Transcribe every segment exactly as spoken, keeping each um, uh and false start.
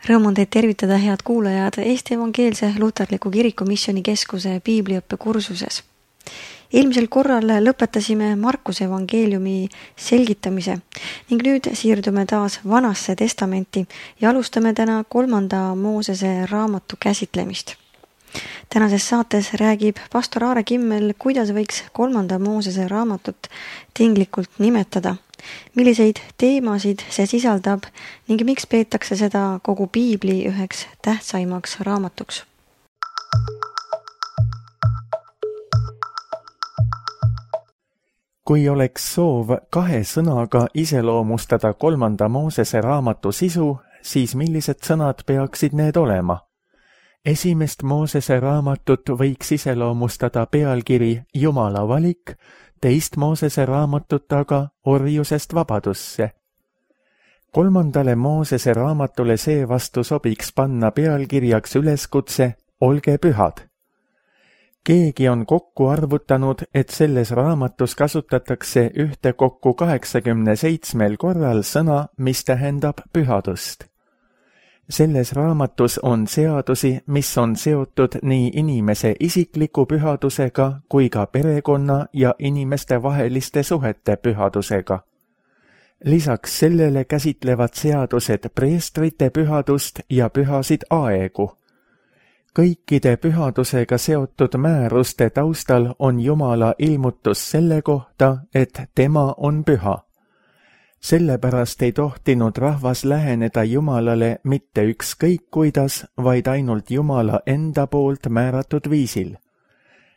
Rõõm on teid tervitada, head kuulajad, Eesti Evangeelse Luterliku Kiriku Missioonikeskuse piibliõppe kursuses. Eelmisel korral lõpetasime Markuse evangeeliumi selgitamise ning nüüd siirdume taas Vanasse testamenti ja alustame täna kolmanda Moosese raamatu käsitlemist. Tänases saates räägib pastor Aare Kimmel, kuidas võiks kolmanda Moosese raamatut tinglikult nimetada, milliseid teemasid see sisaldab ning miks peetakse seda kogu piibli üheks tähtsaimaks raamatuks. Kui oleks soov kahe sõnaga iseloomustada kolmanda Moosese raamatu sisu, siis millised sõnad peaksid need olema? Esimest Moosese raamatut võiks iseloomustada pealkiri Jumala valik, teist Moosese raamatut aga orjusest vabadusse. Kolmandale Moosese raamatule seevastu sobiks panna pealkirjaks üleskutse Olge pühad. Keegi on kokku arvutanud, et selles raamatus kasutatakse ühte kokku kaheksakümne seitsmel korral sõna, mis tähendab pühadust. Selles raamatus on seadusi, mis on seotud nii inimese isikliku pühadusega kui ka perekonna ja inimeste vaheliste suhete pühadusega. Lisaks sellele käsitlevad seadused preestrite pühadust ja pühasid aegu. Kõikide pühadusega seotud määruste taustal on Jumala ilmutus selle kohta, et tema on püha. Sellepärast ei tohtinud rahvas läheneda Jumalale mitte ükskõik kuidas, vaid ainult Jumala enda poolt määratud viisil.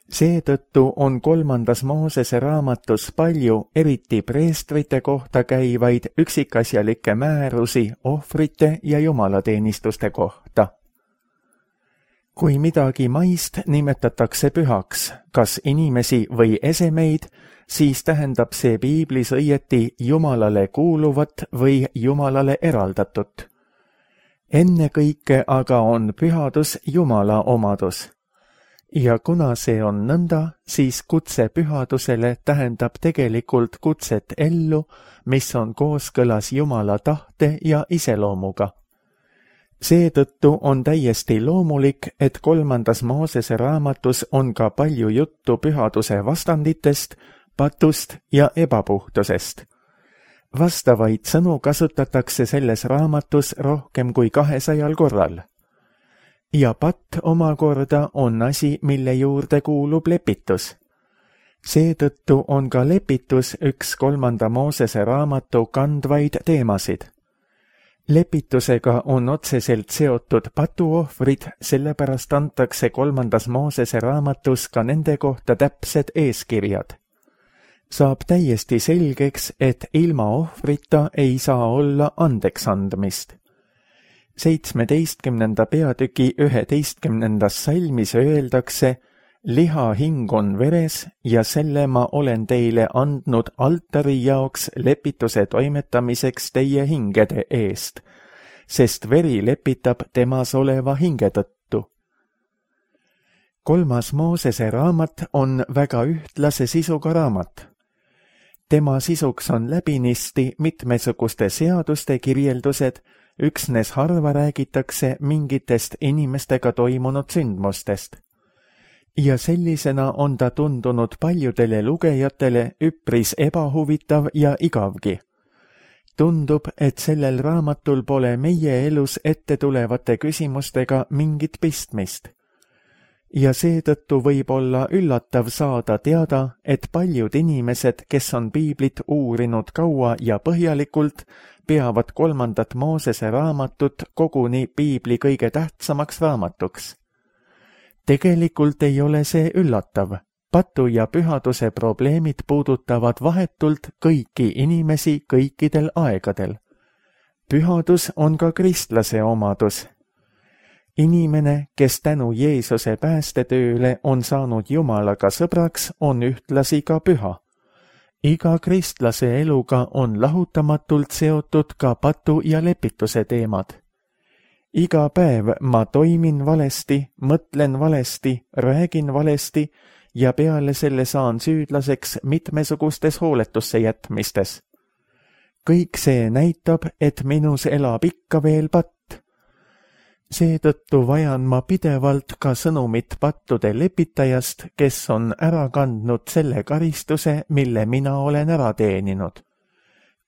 Seetõttu on kolmandas Moosese raamatus palju eriti preestrite kohta käivaid üksikasjalikke määrusi ohvrite ja jumalateenistuste kohta. Kui midagi maist nimetatakse pühaks, kas inimesi või esemeid, siis tähendab see piiblis õieti Jumalale kuuluvat või Jumalale eraldatut. Ennekõike aga on pühadus Jumala omadus. Ja kuna see on nõnda, siis kutse pühadusele tähendab tegelikult kutset ellu, mis on kooskõlas Jumala tahte ja iseloomuga. Seetõttu on täiesti loomulik, et kolmandas Moosese raamatus on ka palju juttu pühaduse vastanditest, patust ja ebapuhtusest. Vastavaid sõnu kasutatakse selles raamatus rohkem kui kahesajal korral. Ja patt omakorda on asi, mille juurde kuulub lepitus. Seetõttu on ka lepitus üks kolmanda Moosese raamatu kandvaid teemasid. Lepitusega on otseselt seotud patuohvrid, sellepärast antakse kolmandas Moosese raamatus ka nende kohta täpsed eeskirjad. Saab täiesti selgeks, et ilma ohvrita ei saa olla andeks andmist. seitsmeteistkümnenda peatüki üheteistkümnendas salmis öeldakse, liha hing on veres ja selle ma olen teile andnud altari jaoks lepituse toimetamiseks teie hingede eest, sest veri lepitab temas oleva hinge tõttu. Kolmas Moosese raamat on väga ühtlase sisuga raamat. Tema sisuks on läbinisti mitmesuguste seaduste kirjeldused, üksnes harva räägitakse mingitest inimestega toimunud sündmustest. Ja sellisena on ta tundunud paljudele lugejatele üpris ebahuvitav ja igavgi. Tundub, et sellel raamatul pole meie elus ette tulevate küsimustega mingit pistmist. Ja seetõttu võib olla üllatav saada teada, et paljud inimesed, kes on piiblit uurinud kaua ja põhjalikult, peavad kolmandat Moosese raamatut koguni piibli kõige tähtsamaks raamatuks. Tegelikult ei ole see üllatav. Patu ja pühaduse probleemid puudutavad vahetult kõiki inimesi kõikidel aegadel. Pühadus on ka kristlase omadus. Inimene, kes tänu Jeesuse päästetööle on saanud Jumalaga sõbraks, on ühtlasi ka püha. Iga kristlase eluga on lahutamatult seotud ka patu ja lepituse teemad. Iga päev ma toimin valesti, mõtlen valesti, räägin valesti ja peale selle saan süüdlaseks mitmesugustes hooletusse jätmistes. Kõik see näitab, et minus elab ikka veel patt. Seetõttu vajan ma pidevalt ka sõnumit pattude lepitajast, kes on ära kandnud selle karistuse, mille mina olen ära teeninud.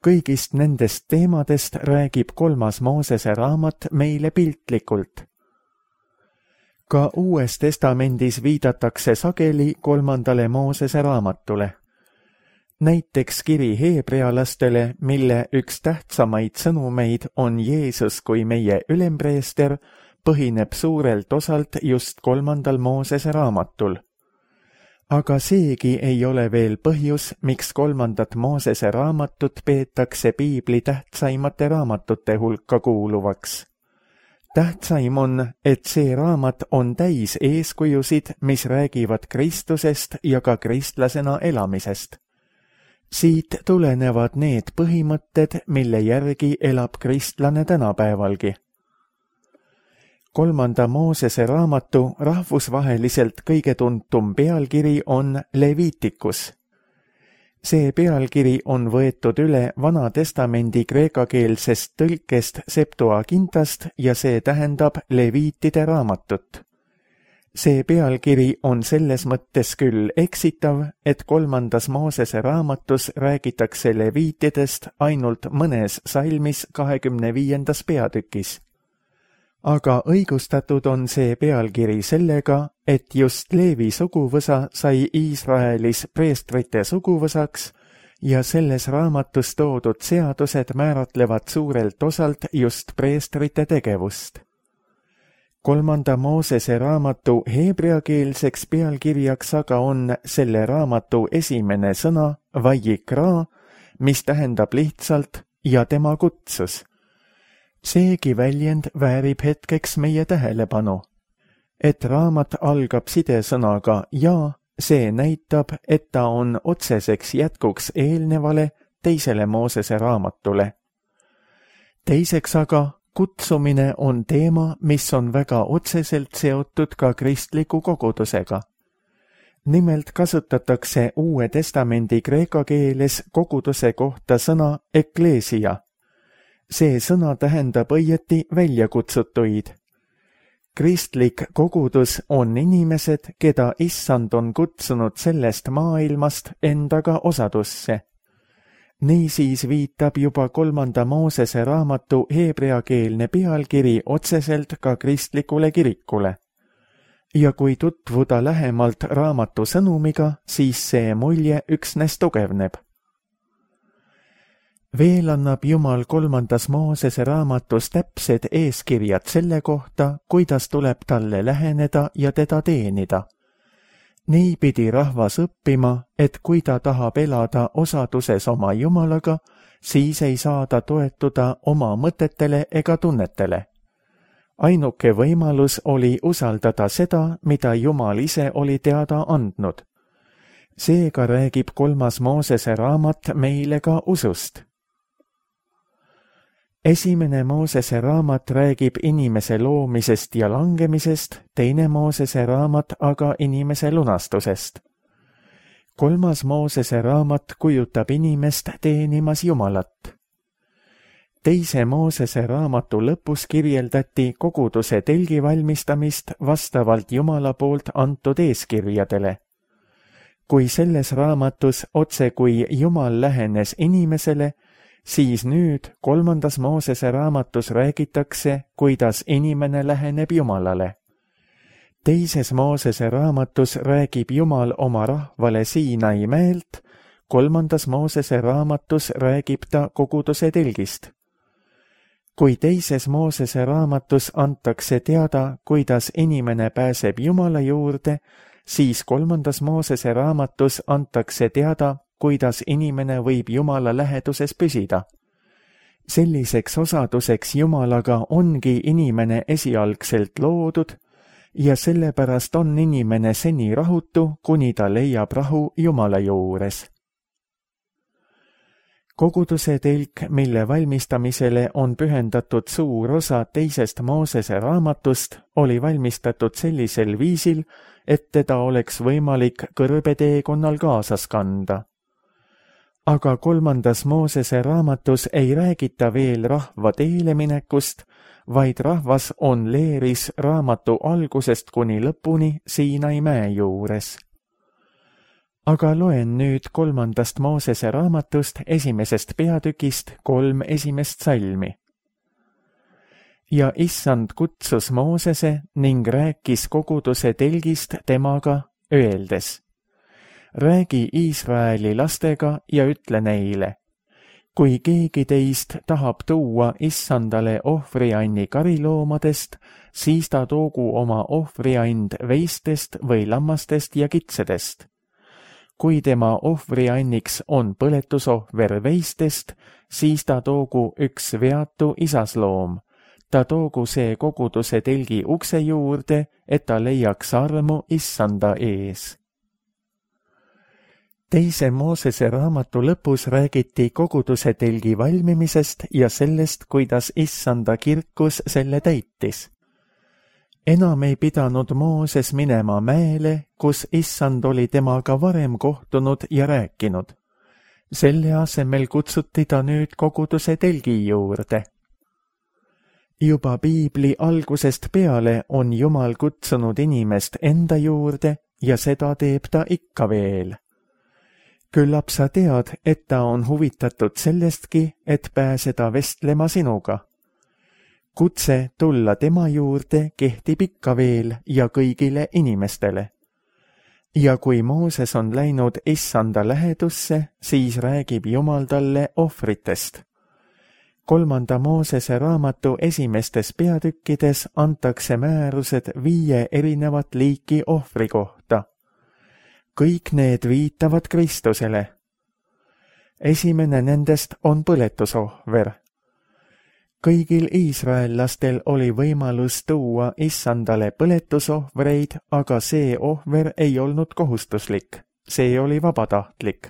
Kõigist nendest teemadest räägib kolmas Moosese raamat meile piltlikult. Ka Uues Testamendis viidatakse sageli kolmandale Moosese raamatule. Näiteks kiri heebrealastele, mille üks tähtsamaid sõnumeid on Jeesus kui meie ülempreester, põhineb suurelt osalt just kolmandal Moosese raamatul. Aga seegi ei ole veel põhjus, miks kolmandat Moosese raamatut peetakse piibli tähtsaimate raamatute hulka kuuluvaks. Tähtsaim on, et see raamat on täis eeskujusid, mis räägivad Kristusest ja ka kristlasena elamisest. Siit tulenevad need põhimõtted, mille järgi elab kristlane tänapäevalgi. Kolmanda Moosese raamatu rahvusvaheliselt kõige tuntum pealkiri on Leviticus. See pealkiri on võetud üle Vana Testamendi kreekakeelsest tõlkest Septuagintast ja see tähendab Leviitide raamatut. See pealkiri on selles mõttes küll eksitav, et kolmandas Moosese raamatus räägitakse leviitidest ainult mõnes salmis kahekümne viiendas peatükis. Aga õigustatud on see pealkiri sellega, et just Leevi suguvõsa sai Iisraelis preestrite suguvõsaks ja selles raamatus toodud seadused määratlevad suurelt osalt just preestrite tegevust. Kolmanda Moosese raamatu heebreakeelseks pealkirjaks aga on selle raamatu esimene sõna vayikra, mis tähendab lihtsalt ja tema kutsus. Seegi väljend väärib hetkeks meie tähelepanu. Et raamat algab sidesõnaga ja, see näitab, et ta on otseseks jätkuks eelnevale teisele Moosese raamatule. Teiseks aga, kutsumine on teema, mis on väga otseselt seotud ka kristliku kogudusega. Nimelt kasutatakse Uue Testamendi kreeka keeles koguduse kohta sõna ekleesia. See sõna tähendab õieti väljakutsutuid. Kristlik kogudus on inimesed, keda issand on kutsunud sellest maailmast endaga osadusse. Niisiis viitab juba kolmanda Moosese raamatu heebreakeelne pealkiri otseselt ka kristlikule kirikule. Ja kui tutvuda lähemalt raamatu sõnumiga, siis see mulje üksnes tugevneb. Veel annab Jumal kolmandas Moosese raamatus täpsed eeskirjad selle kohta, kuidas tuleb talle läheneda ja teda teenida. Nii pidi rahvas õppima, et kui ta tahab elada osaduses oma Jumalaga, siis ei saa ta toetuda oma mõtetele ega tunnetele. Ainuke võimalus oli usaldada seda, mida Jumal ise oli teada andnud. Seega räägib kolmas Moosese raamat meile ka usust. Esimene Moosese raamat räägib inimese loomisest ja langemisest, teine Moosese raamat aga inimese lunastusest. Kolmas Moosese raamat kujutab inimest teenimas Jumalat. Teise Moosese raamatu lõpus kirjeldati koguduse telgi valmistamist vastavalt Jumala poolt antud eeskirjadele. Kui selles raamatus otse kui Jumal lähenes inimesele, siis nüüd kolmandas Moosese raamatus räägitakse, kuidas inimene läheneb Jumalale. Teises Moosese raamatus räägib Jumal oma rahvale Siinai mäelt, kolmandas Moosese raamatus räägib ta koguduse telgist. Kui teises Moosese raamatus antakse teada, kuidas inimene pääseb Jumala juurde, siis kolmandas Moosese raamatus antakse teada, kuidas inimene võib Jumala läheduses püsida. Selliseks osaduseks Jumalaga ongi inimene esialgselt loodud ja sellepärast on inimene seni rahutu, kuni ta leiab rahu Jumala juures. Koguduse telk, mille valmistamisele on pühendatud suur osa teisest Moosese raamatust, oli valmistatud sellisel viisil, et teda oleks võimalik kõrbeteekonnal kaasas kanda. Aga kolmandas Moosese raamatus ei räägita veel rahva teele minekust, vaid rahvas on leeris raamatu algusest kuni lõpuni Siinai mäe juures. Aga loen nüüd kolmandast Moosese raamatust esimesest peatükist kolm esimest salmi. Ja issand kutsus Moosese ning rääkis koguduse telgist temaga, öeldes: räägi Iisraeli lastega ja ütle neile: kui keegi teist tahab tuua issandale ohvrianni kariloomadest, siis ta toogu oma ohvriand veistest või lammastest ja kitsedest. Kui tema ohvrianniks on põletusohver veistest, siis ta toogu üks veatu isasloom. Ta toogu see koguduse telgi ukse juurde, et ta leiaks armu issanda ees. Teise Moosese raamatu lõpus räägiti koguduse telgi valmimisest ja sellest, kuidas issanda kirkus selle täitis. Enam ei pidanud Mooses minema mäele, kus issand oli temaga varem kohtunud ja rääkinud. Selle asemel kutsuti ta nüüd koguduse telgi juurde. Juba piibli algusest peale on Jumal kutsunud inimest enda juurde ja seda teeb ta ikka veel. Küllap sa tead, et ta on huvitatud sellestki, et pääseda vestlema sinuga. Kutse tulla tema juurde kehtib ikka veel ja kõigile inimestele. Ja kui Mooses on läinud issanda lähedusse, siis räägib Jumal talle ohvritest. Kolmanda Moosese raamatu esimestes peatükkides antakse määrused viie erinevat liiki ohvri kohta. Kõik need viitavad Kristusele. Esimene nendest on põletusohver. Kõigil iisraellastel oli võimalus tuua issandale põletusohvreid, aga see ohver ei olnud kohustuslik, see oli vabatahtlik.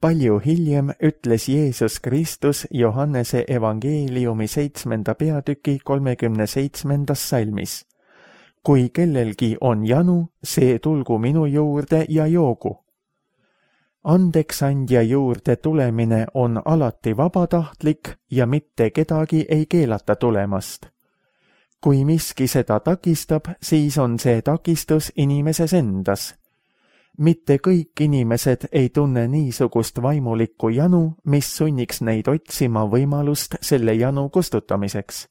Palju hiljem ütles Jeesus Kristus Johannese evangeeliumi seitsmenda peatüki kolmekümne seitsmendas salmis: kui kellelgi on janu, see tulgu minu juurde ja joogu. Andeksandja juurde tulemine on alati vabatahtlik ja mitte kedagi ei keelata tulemast. Kui miski seda takistab, siis on see takistus inimeses endas. Mitte kõik inimesed ei tunne niisugust vaimulikku janu, mis sunniks neid otsima võimalust selle janu kustutamiseks.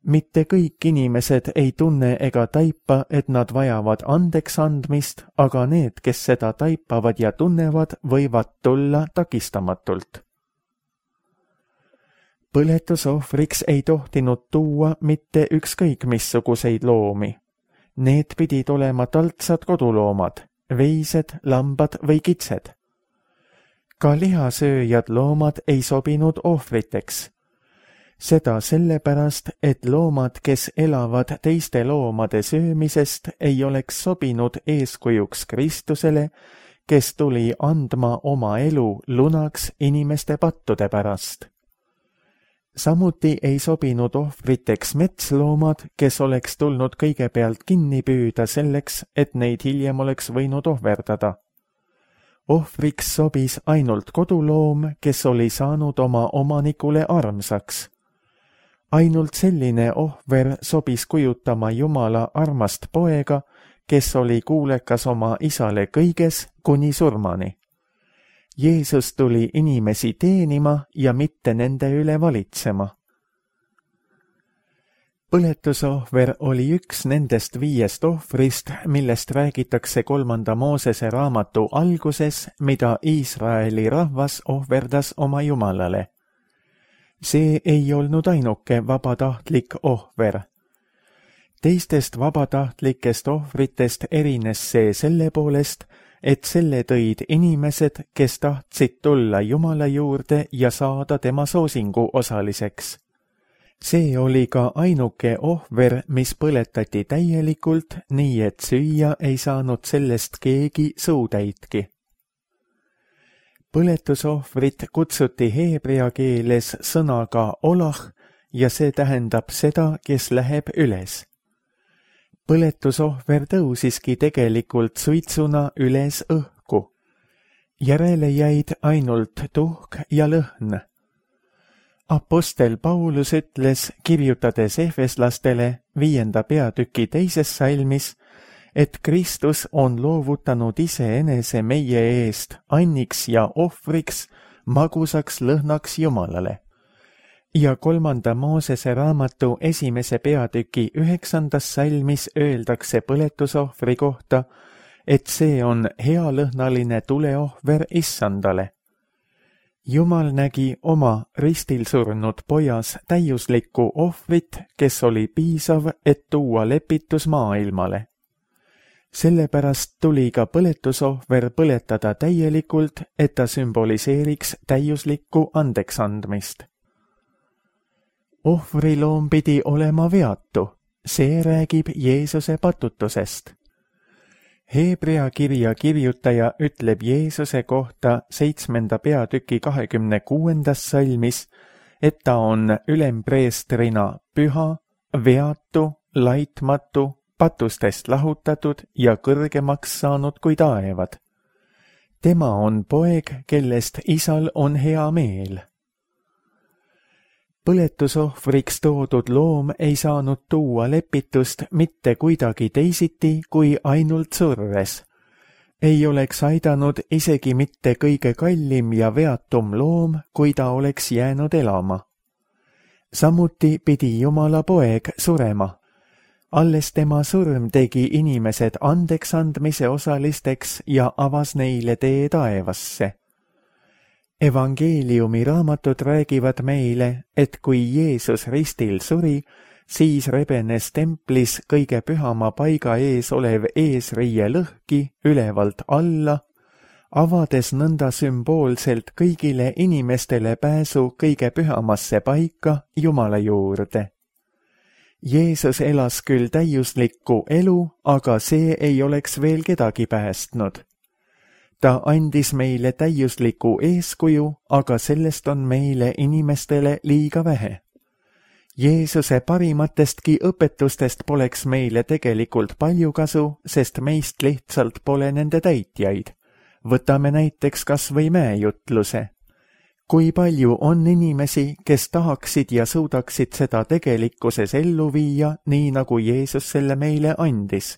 Mitte kõik inimesed ei tunne ega taipa, et nad vajavad andeks andmist, aga need, kes seda taipavad ja tunnevad, võivad tulla takistamatult. Põletusohvriks ei tohtinud tuua mitte ükskõik missuguseid loomi. Need pidid olema taltsad koduloomad, veised, lambad või kitsed. Ka lihasööjad loomad ei sobinud ohvriteks. Seda sellepärast, et loomad, kes elavad teiste loomade söömisest, ei oleks sobinud eeskujuks Kristusele, kes tuli andma oma elu lunaks inimeste pattude pärast. Samuti ei sobinud ohvriteks metsloomad, kes oleks tulnud kõigepealt kinni püüda selleks, et neid hiljem oleks võinud ohverdada. Ohvriks sobis ainult koduloom, kes oli saanud oma omanikule armsaks. Ainult selline ohver sobis kujutama Jumala armast poega, kes oli kuulekas oma isale kõiges kuni surmani. Jeesus tuli inimesi teenima ja mitte nende üle valitsema. Põletusohver oli üks nendest viiest ohvrist, millest räägitakse kolmanda Moosese raamatu alguses, mida Iisraeli rahvas ohverdas oma Jumalale. See ei olnud ainuke vabatahtlik ohver. Teistest vabatahtlikest ohvritest erines see selle poolest, et selle tõid inimesed, kes tahtsid tulla Jumala juurde ja saada tema soosingu osaliseks. See oli ka ainuke ohver, mis põletati täielikult, nii et süüa ei saanud sellest keegi suutäitki. Põletusohvrit kutsuti heebrea keeles sõnaga olah ja see tähendab seda, kes läheb üles. Põletusohver tõusiski tegelikult suitsuna üles õhku. Järele jäid ainult tuhk ja lõhn. Apostel Paulus ütles, kirjutades efeslastele viienda peatüki teises salmis, et Kristus on loovutanud iseenese meie eest anniks ja ohvriks, magusaks lõhnaks Jumalale. Ja kolmanda Moosese raamatu esimese peatüki üheksandas salmis öeldakse põletusohvri kohta, et see on healõhnaline tuleohver Issandale. Jumal nägi oma ristil surnud pojas täiuslikku ohvrit, kes oli piisav, et tuua lepitus maailmale. Sellepärast tuli ka põletusohver põletada täielikult, et ta sümboliseeriks täiuslikku andeksandmist. Ohvriloom pidi olema veatu, see räägib Jeesuse patutusest. Heebrea kirja kirjutaja ütleb Jeesuse kohta seitsmenda peatüki kahekümne kuuendas salmis, et ta on ülempreestrina püha, veatu, laitmatu, patustest lahutatud ja kõrgemaks saanud kui taevad. Tema on poeg, kellest isal on hea meel. Põletusohvriks toodud loom ei saanud tuua lepitust mitte kuidagi teisiti kui ainult surres. Ei oleks aidanud isegi mitte kõige kallim ja veatum loom, kui ta oleks jäänud elama. Samuti pidi Jumala poeg surema. Alles tema surm tegi inimesed andeks andmise osalisteks ja avas neile tee taevasse. Evangeeliumi raamatud räägivad meile, et kui Jeesus ristil suri, siis rebenes templis kõige pühama paiga ees olev eesriie lõhki ülevalt alla, avades nõnda sümboolselt kõigile inimestele pääsu kõige pühamasse paika Jumala juurde. Jeesus elas küll täiuslikku elu, aga see ei oleks veel kedagi päästnud. Ta andis meile täiusliku eeskuju, aga sellest on meile inimestele liiga vähe. Jeesuse parimatestki õpetustest poleks meile tegelikult palju kasu, sest meist lihtsalt pole nende täitjaid. Võtame näiteks kas või mäejutluse. Kui palju on inimesi, kes tahaksid ja suudaksid seda tegelikkuses ellu viia, nii nagu Jeesus selle meile andis?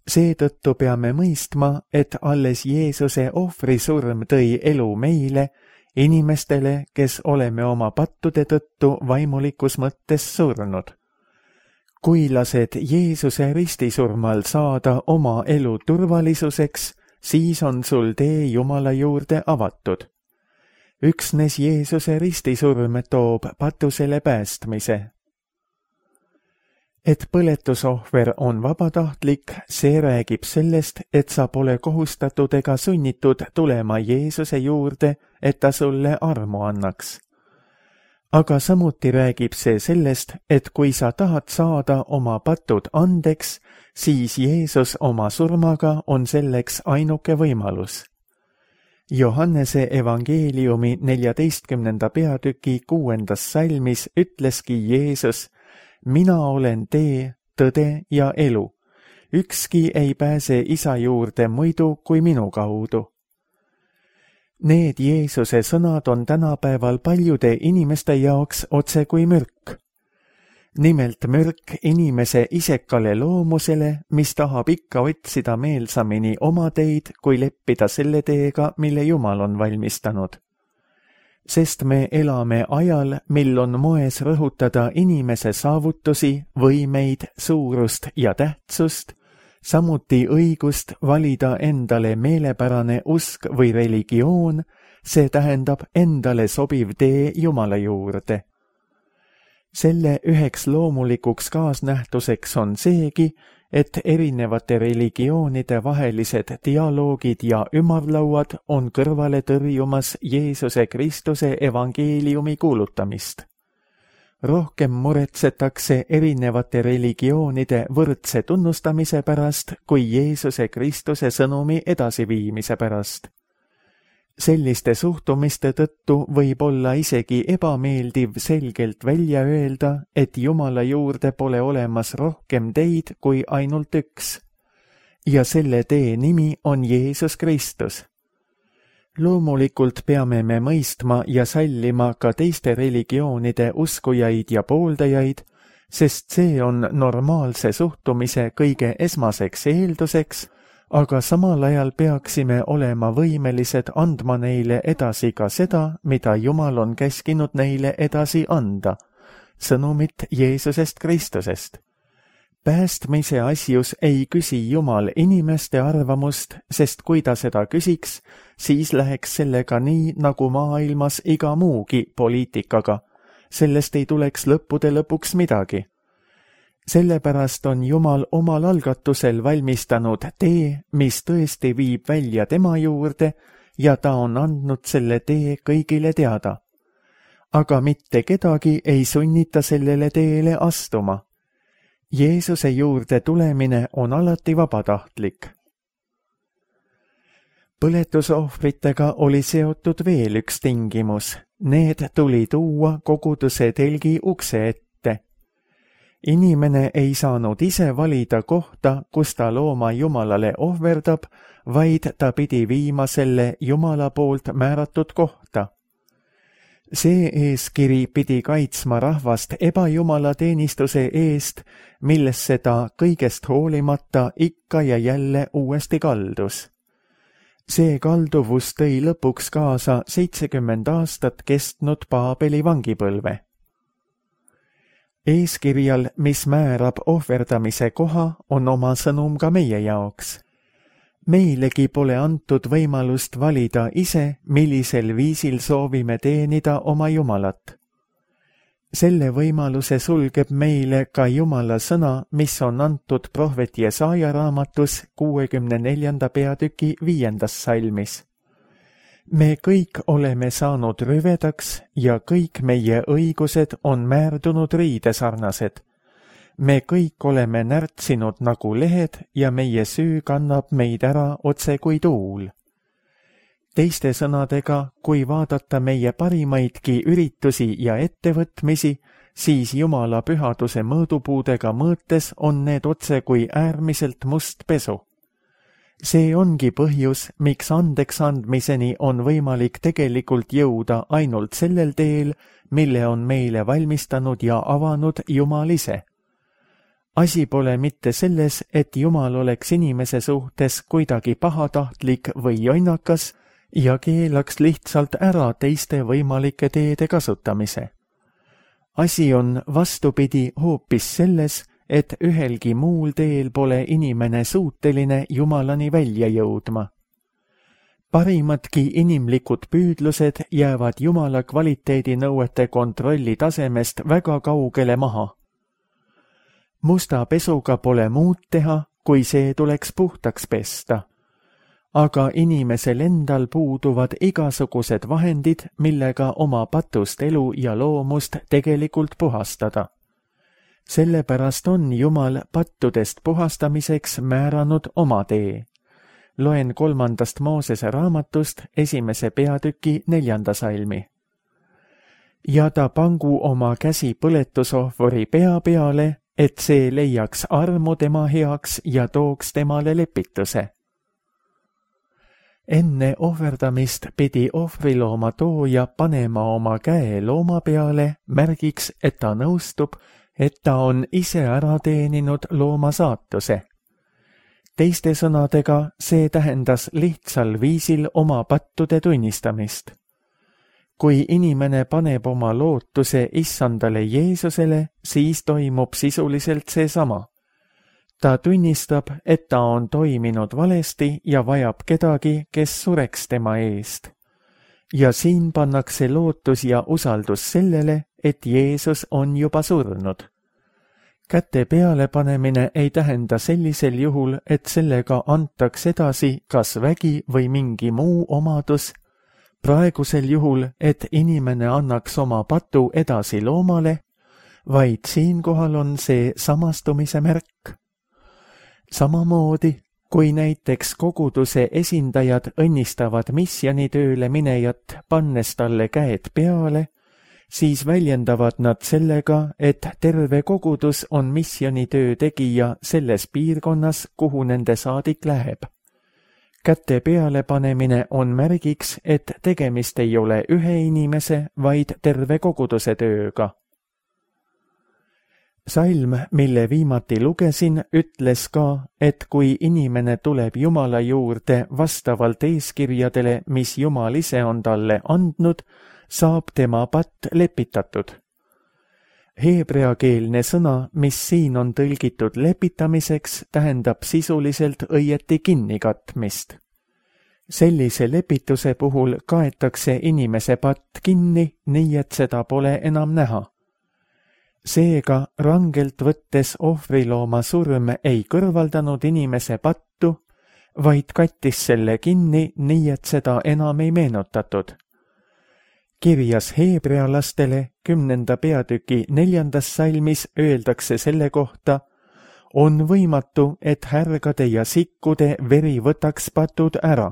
Seetõttu peame mõistma, et alles Jeesuse ohvrisurm tõi elu meile, inimestele, kes oleme oma pattude tõttu vaimulikus mõttes surnud. Kui lased Jeesuse ristisurmal saada oma elu turvalisuseks, siis on sul tee Jumala juurde avatud. Üksnes Jeesuse ristisurm toob patusele päästmise. Et põletusohver on vabatahtlik, see räägib sellest, et sa pole kohustatud ega sunnitud tulema Jeesuse juurde, et ta sulle armu annaks. Aga samuti räägib see sellest, et kui sa tahad saada oma patud andeks, siis Jeesus oma surmaga on selleks ainuke võimalus. Johannese evangeeliumi neljateistkümnenda peatüki kuuendas salmis ütleski Jeesus: mina olen tee, tõde ja elu. Ükski ei pääse isa juurde muidu kui minu kaudu. Need Jeesuse sõnad on tänapäeval paljude inimeste jaoks otse kui mürk. Nimelt mürk inimese isekale loomusele, mis tahab ikka otsida meelsamini oma teid, kui leppida selle teega, mille Jumal on valmistanud. Sest me elame ajal, mil on moes rõhutada inimese saavutusi, võimeid, suurust ja tähtsust, samuti õigust valida endale meelepärane usk või religioon, see tähendab endale sobiv tee Jumala juurde. Selle üheks loomulikuks kaasnähtuseks on seegi, et erinevate religioonide vahelised dialoogid ja ümarlauad on kõrvale tõrjumas Jeesuse Kristuse evangeeliumi kuulutamist. Rohkem muretsetakse erinevate religioonide võrdse tunnustamise pärast kui Jeesuse Kristuse sõnumi edasiviimise pärast. Selliste suhtumiste tõttu võib olla isegi ebameeldiv selgelt välja öelda, et Jumala juurde pole olemas rohkem teid kui ainult üks. Ja selle tee nimi on Jeesus Kristus. Loomulikult peame me mõistma ja sallima ka teiste religioonide uskujaid ja pooldajaid, sest see on normaalse suhtumise kõige esmaseks eelduseks, aga samal ajal peaksime olema võimelised andma neile edasi ka seda, mida Jumal on käskinud neile edasi anda, sõnumit Jeesusest Kristusest. Päästmise asjus ei küsi Jumal inimeste arvamust, sest kui ta seda küsiks, siis läheks sellega nii, nagu maailmas iga muugi poliitikaga. Sellest ei tuleks lõppude lõpuks midagi. Sellepärast on Jumal omal algatusel valmistanud tee, mis tõesti viib välja tema juurde ja ta on andnud selle tee kõigile teada. Aga mitte kedagi ei sunnita sellele teele astuma. Jeesuse juurde tulemine on alati vabatahtlik. Põletusohvritega oli seotud veel üks tingimus. Need tuli tuua koguduse telgi ukse ette. Inimene ei saanud ise valida kohta, kus ta looma Jumalale ohverdab, vaid ta pidi viima selle Jumala poolt määratud kohta. See eeskiri pidi kaitsma rahvast ebajumala teenistuse eest, millesse ta kõigest hoolimata ikka ja jälle uuesti kaldus. See kalduvus tõi lõpuks kaasa seitsekümmend aastat kestnud Paabeli vangipõlve. Eeskirjal, mis määrab ohverdamise koha, on oma sõnum ka meie jaoks. Meilegi pole antud võimalust valida ise, millisel viisil soovime teenida oma Jumalat. Selle võimaluse sulgeb meile ka Jumala sõna, mis on antud prohvet Jesaja raamatus kuuekümne neljanda peatüki viiendas salmis. Me kõik oleme saanud rüvedaks ja kõik meie õigused on määrdunud riidesarnased. Me kõik oleme närtsinud nagu lehed ja meie süü kannab meid ära otse kui tuul. Teiste sõnadega, kui vaadata meie parimaidki üritusi ja ettevõtmisi, siis Jumala pühaduse mõõdupuudega mõõtes on need otse kui äärmiselt must pesu. See ongi põhjus, miks andeks andmiseni on võimalik tegelikult jõuda ainult sellel teel, mille on meile valmistanud ja avanud Jumal ise. Asi pole mitte selles, et Jumal oleks inimese suhtes kuidagi pahatahtlik või jonnakas ja keelaks lihtsalt ära teiste võimalike teede kasutamise. Asi on vastupidi hoopis selles, et ühelgi muul teel pole inimene suuteline Jumalani välja jõudma. Parimadki inimlikud püüdlused jäävad Jumala kvaliteedinõuete kontrolli tasemest väga kaugele maha. Musta pesuga pole muud teha, kui see tuleks puhtaks pesta. Aga inimesel endal puuduvad igasugused vahendid, millega oma patust elu ja loomust tegelikult puhastada. Sellepärast on Jumal pattudest puhastamiseks määranud oma tee. Loen kolmandast Moosese raamatust esimese peatüki neljanda salmi. Ja ta pangu oma käsi põletusohvori pea peale, et see leiaks armu tema heaks ja tooks temale lepituse. Enne ohverdamist pidi ohvrilooma tooja panema oma käe looma peale märgiks, et ta nõustub, et ta on ise ära teeninud looma saatuse. Teiste sõnadega, see tähendas lihtsal viisil oma pattude tunnistamist. Kui inimene paneb oma lootuse issandale Jeesusele, siis toimub sisuliselt seesama. Ta tunnistab, et ta on toiminud valesti ja vajab kedagi, kes sureks tema eest. Ja siin pannakse lootus ja usaldus sellele, et Jeesus on juba surnud. Käte peale panemine ei tähenda sellisel juhul, et sellega antaks edasi kas vägi või mingi muu omadus, praegusel juhul, et inimene annaks oma patu edasi loomale, vaid siinkohal on see samastumise märk. Samamoodi, kui näiteks koguduse esindajad õnnistavad misjonitööle minejat, pannes talle käed peale, siis väljendavad nad sellega, et terve kogudus on missionitöö tegija selles piirkonnas, kuhu nende saadik läheb. käte peale panemine on märgiks, et tegemist ei ole ühe inimese, vaid terve koguduse tööga. Salm, mille viimati lugesin, ütles ka, et kui inimene tuleb Jumala juurde vastavalt eeskirjadele, mis Jumal ise on talle andnud, saab tema patt lepitatud. Heebreakeelne sõna, mis siin on tõlgitud lepitamiseks, tähendab sisuliselt õieti kinnikatmist. Sellise lepituse puhul kaetakse inimese patt kinni, nii et seda pole enam näha. Seega rangelt võttes ohvrilooma surm ei kõrvaldanud inimese pattu, vaid kattis selle kinni, nii et seda enam ei meenutatud. Kirjas heebrealastele kümnenda peatüki neljandas salmis öeldakse selle kohta, on võimatu, et härgade ja sikkude veri võtaks patud ära.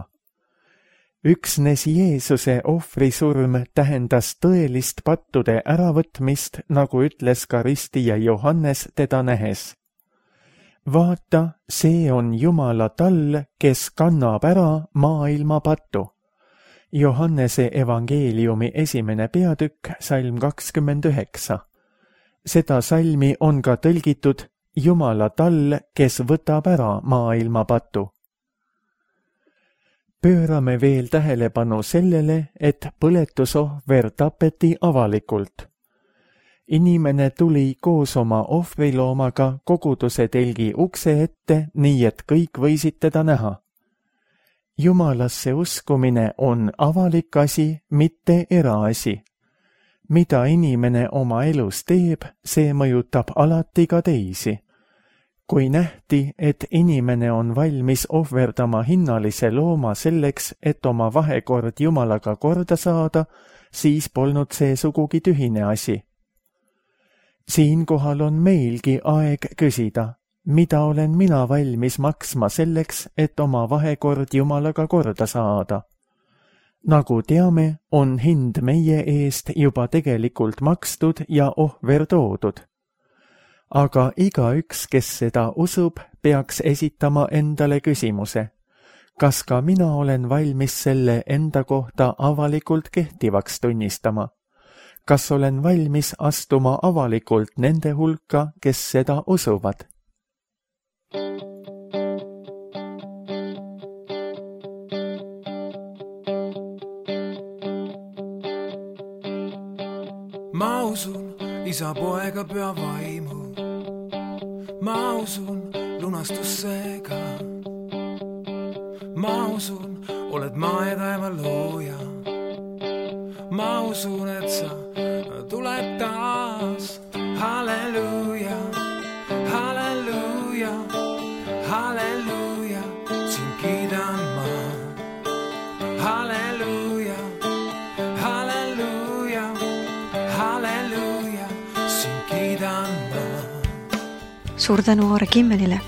Üksnes Jeesuse ohvrisurm tähendas tõelist pattude äravõtmist, nagu ütles ka ristija Johannes teda nähes. Vaata, see on Jumala tall, kes kannab ära maailma pattu. Johannese evangeeliumi esimene peatükk, salm kakskümmend üheksa. Seda salmi on ka tõlgitud Jumala tall, kes võtab ära maailma patu. Pöörame veel tähelepanu sellele, et põletusohver tapeti avalikult. Inimene tuli koos oma ohvriloomaga koguduse telgi ukse ette, nii et kõik võisid teda näha. Jumalasse uskumine on avalik asi, mitte eraasi. Mida inimene oma elus teeb, see mõjutab alati ka teisi. Kui nähti, et inimene on valmis ohverdama hinnalise looma selleks, et oma vahekord Jumalaga korda saada, siis polnud see sugugi tühine asi. Siinkohal on meilgi aeg küsida, mida olen mina valmis maksma selleks, et oma vahekord Jumalaga korda saada. Nagu teame, on hind meie eest juba tegelikult makstud ja ohver toodud. Aga igaüks, kes seda usub, peaks esitama endale küsimuse. Kas ka mina olen valmis selle enda kohta avalikult kehtivaks tunnistama? Kas olen valmis astuma avalikult nende hulka, kes seda usuvad? Ma usun isa, poega, püha vaimu. Ma usun lunastussega. Ma usun, oled maa ja taeva looja. Ma usun, et sa tuled taas. Halleluuja, halleluuja, halleluuja, sind kiidan ma. Halleluuja, halleluuja, halleluuja, sind kiidan ma. Suur tänu Aare Kimmelile.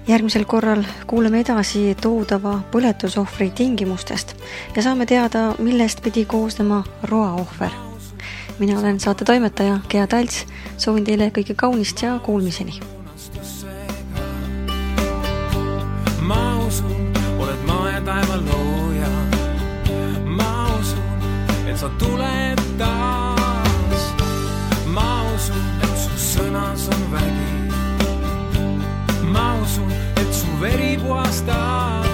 Järgmisel korral kuuleme edasi toodava põletusohvri tingimustest ja saame teada, millest pidi koosnema roaohver. Mina olen saate toimetaja Gea Talts, soovin teile kõige kaunist ja kuulmiseni. Ma usun, oled maa ja taeva looja. Ma usun, et sa tuled taas. Ma usun, et su sõnas on vägi. Ma usun, et su veri puhastab.